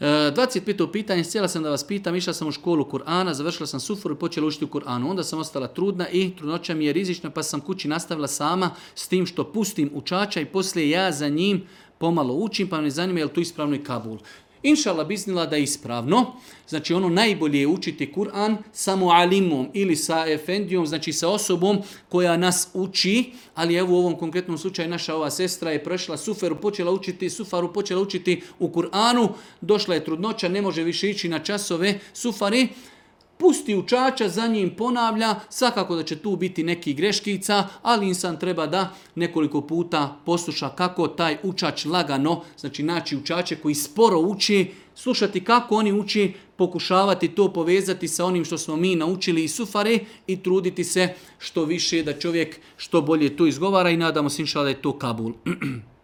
25. pitanje, htjela sam da vas pitam, išla sam u školu Kur'ana, završila sam sufuru i počela učiti u Kur'anu. Onda sam ostala trudna i trudnoća mi je rizična pa sam kući nastavila sama s tim što pustim učača i poslije ja za njim pomalo učim, pa me zanima je li tu ispravno i Kabul. Inšallah biznila da je ispravno. Znači ono najbolje je učiti Kur'an samo alimom ili sa efendijom, znači sa osobom koja nas uči, ali evo u ovom konkretnom slučaju naša ova sestra je prošla sufaru, počela učiti u Kur'anu, došla je trudnoća, ne može više ići na časove sufari, pusti učača, za njim ponavlja, svakako da će tu biti neki greškica, ali insan treba da nekoliko puta posluša kako taj učač lagano, znači naći učače koji sporo uči, slušati kako oni uči, pokušavati to povezati sa onim što smo mi naučili iz sufare i truditi se što više da čovjek što bolje to izgovara i nadamo se inšallah da je to Kabul.